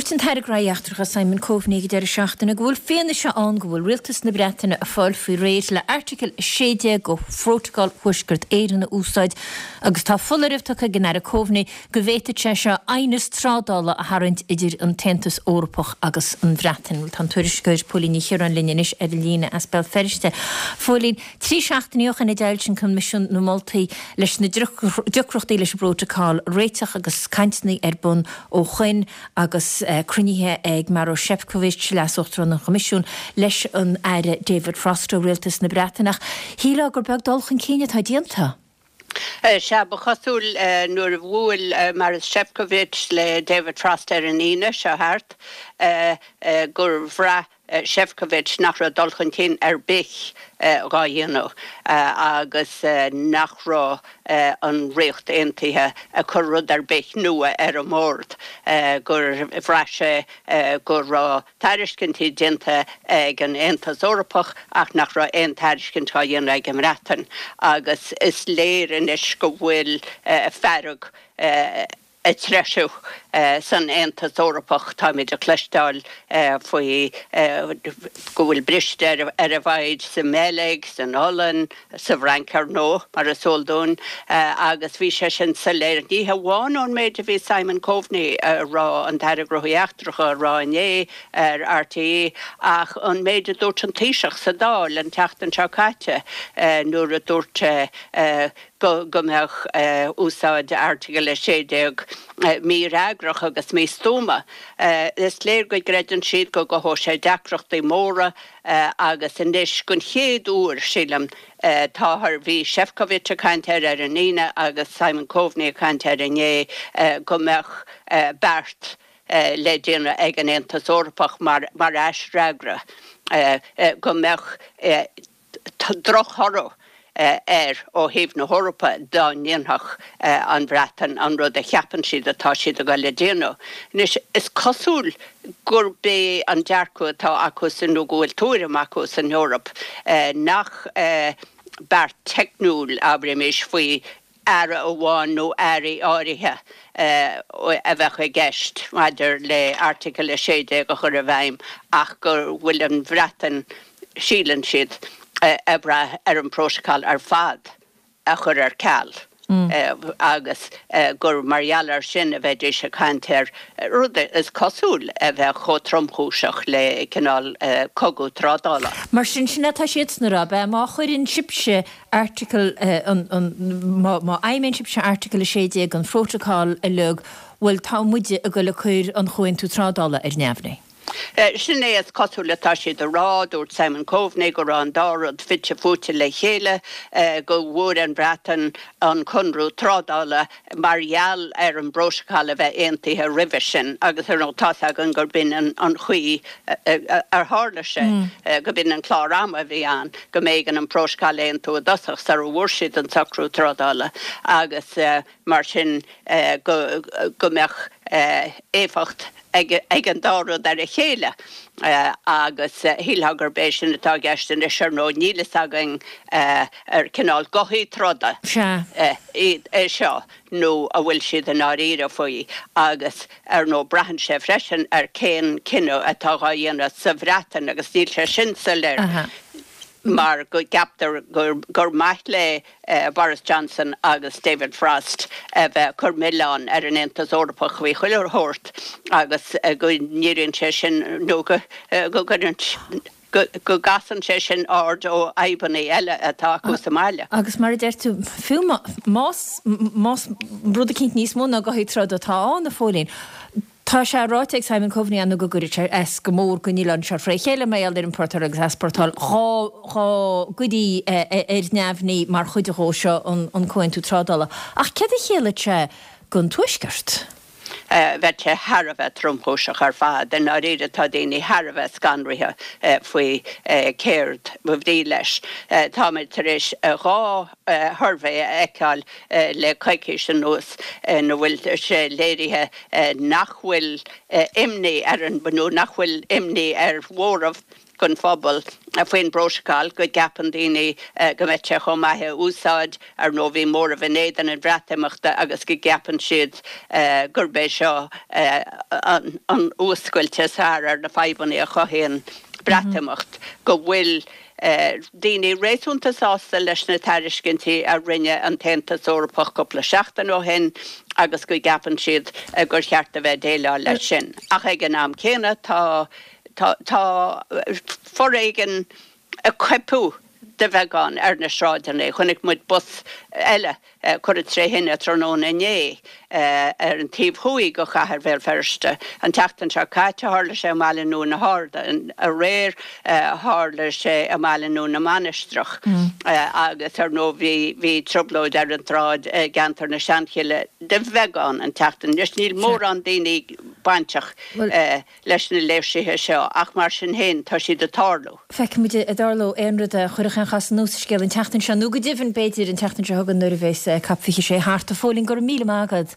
Dúirt an tAire Gnóthaí Eachtracha Simon Coveney ag an deireadh seachtaine go bhfuil fianaise ann go bhfuil rialtas na Breataine ag fáil faoi réir le Airteagal 16 de Phrótacal Thuaisceart Éireann a úsáid agus tá foláireamh tugtha ag an Aire Coveney go bhféadfadh sé seo aighneas trádála a tharraingt idir an tAontas Eorpach agus an Bhreatain. Bhuel tá an tuairisceoir Póilín Ní Chiaráin linn anois ar an líne as Béal Feirste. A Phóilín, 3 seachtainí ó shin a d'fhoilsigh an Coimisiún na moltaí leis na deacrachtaí leis an bprótacal a réiteach agus cainteanna ar bun ó shoin agus cruinnithe ag Maros Sefcovic, Leas-Uachtarán an Choimisiúin, leis an Aire David Frost ó Rialtas na Breataine ach shílfeá gur beag dul chun cinn atá déanta. Sea, ba chosúil nuair a bhuail Maros Sefcovic le David Frost ar an Aoine seo thart gur bhraith Sefcovic nach raibh dul chun cinn ar bith dhá dhéanamh agus nach raibh an Ríocht Aontaithe ag cur rud ar bith nua ar an mbord, gur bhraith sé go raibh tairiscintí déanta ag an Aontas Eorpach ach nach raibh aon tairiscint dhá dhéanamh ag an mBreatain agus is léir anois go bhfuil fearg ag treisiú san Aontas Eorpach. Táimid ag cloisteáil faoi go bhfuil briste ar an bhfoighid sa mBeilg, san Ollainn, sa bhFrainc ar ndóigh, mar is eol dúinn, agus bhí sé sin soiléir ní hamháin ón méid a bhí Simon Coveney a rá, an tAire Gnóthaí Eachtracha, a rá inné ar RTÉ ach an méid a dúirt an Taoiseach sa Dáil an tseachtain seo caite nuair a dúirt sé go mbeadh úsáid Airteagal 16 mífhreagrach agus místuama. Is léir go gcreideann siad go gcothódh sé deacrachtaí móra agus anois, den chéad uair, sílim, táthar, bhí Sefcovic ag caint air ar an Aoine agus Simon Coveney ag caint air inné, go mbeadh beart le déanamh ag an Aontas Eorpach mar aisfhreagra, go mbeadh drochthoradh air ó thaobh na hEorpa dá ndéanfadh an Bhreatain an rud a cheapann siad atá siad ag dul a dhéanamh. Anois, is cosúil gurb é an dearcadh atá acusan nó go bhfuil tuairim acu san Eoraip nach beart teicniúil, abraimis, faoi aire amháin nó airí áirithe a bheadh i gceist maidir le Airteagal 16 a chur i bhfeidhm ach go bhfuil an Bhreatain, síleann siad, ag brath ar an bprótacal ar fad a chur ar ceal agus gur mar gheall air sin a bheidís ag caint ar rud is cosúil a bheadh chomh tromchúiseach le cineál cogadh trádála. Mar sin, sin é atá siadsan a rá, ab ea? Má chuireann sibhse Airteagal an, an, má, má fheidhmíonn sibhse Airteagal 16 den Phrótacal uilig, bhuel, tá muide ag goil ag cur an Chomhaontú Trádála ar neamhní. Sin é is cosúil atá siad a rá. Dúirt Simon Coveney go raibh an dá rud fite fuaite le chéile, go bhfuair an Bhreatain an conradh trádála mar gheall ar an bprótacal a bheith aontaithe roimhe sin agus ar ndóigh tá's againn gurb in an chaoi ar tharla sé, go b'in an clár ama a bhí ann, go mb'éigean an prótacal a aontú i dtosach sara bhfuair siad an socrú trádála agus mar sin go mbeadh éifeacht ag an dá rud ar a chéile agus shílfeá gurb é sin atá i gceist anois. Ar ndóigh níl fhios againn ar cineál gothaí troda iad é seo nó an bhfuil siad i ndáiríre faoi agus ar ndóigh braitheann sé freisin ar cén cinneadh atá dhá dhéanamh sa Bhreatain agus níl sé sin soiléir mar go gceaptar gur maith le Boris Johnson agus David Frost a bheith ag cur milleáin ar an Aontas Eorpach faoi chuile shórt agus go ndíríonn sé sin nó go gcuireann go gcasann sé sin aird ó fhadhbanna eile atá acu sa mbaile. Agus mar a deir tú, fiú más más rud eicínt níos mó ná gothaí troda atá ann, a Phóilín, tá sé ráite ag Simon Coveney ann go gcuirfeadh sé as go mór don oileán seo fré chéile mar gheall ar iompórtáil agus easpórtáil dhá dhá gcuirí ar neamhní mar chuid dhó seo an Comhaontú Trádála. Ach céard a chiallaíonn sé don Tuaisceart? Bheadh sé thar a bheith tromchúiseach ar fad. I ndáiríre tá daoine thar a bheith scanraithe faoi céard ba bhrí leis. Táimid tar éis 2 shuirbhé a fheiceáil le coicís anuas ina bhfuil sé léirithe nach bhfuil imní ar an, nó nach bhfuil imní ar mhóramh. den phobal faoin bprótacal, go gceapann daoine go mbeadh sé chomh maith é a úsáid. Ar ndóigh bhí móramh in éadan an Bhreatimeachta agus go gceapann siad gurb é seo an fhuascailt is fearr ar na fadhbanna a chothaíonn Breatimeacht, go bhfuil daoine réasúnta sásta leis na tairiscintí a rinne an tAontas Eorpach cúpla seachtain ó shin agus go gceapann siad gur cheart a bheith ag déileáil leis sin. Ach ag an am céanna tá tá foréigean ag coipeadh de bheagán ar na sráideanna. Chonaic muid bus eile curtha tré thine tráthnóna inné ar an taobh thuaidh de chathair Bhéal Feirste. An tseachtain seo caite tharla sé i mBaile Nua na hArda. Aréir tharla sé i mBaile Nua na Mainistreach agus ar ndóigh bhí bhí trioblóid ar an tsráid i gceantar na Seanchille de bheagán an tseachtain. Anois níl mórán daoine bainteach leis na léirsithe seo ach mar sin féin tá siad ag tarlú. Feicfimid an dtarlóidh aon rud a chuirfeadh aon chasadh nua sa scéal an tseachtain seo nó go deimhin b'fhéidir an tseachtain seo chugainn nuair a bheas COP 26 thart. A Phóilín, go raibh míle maith agat.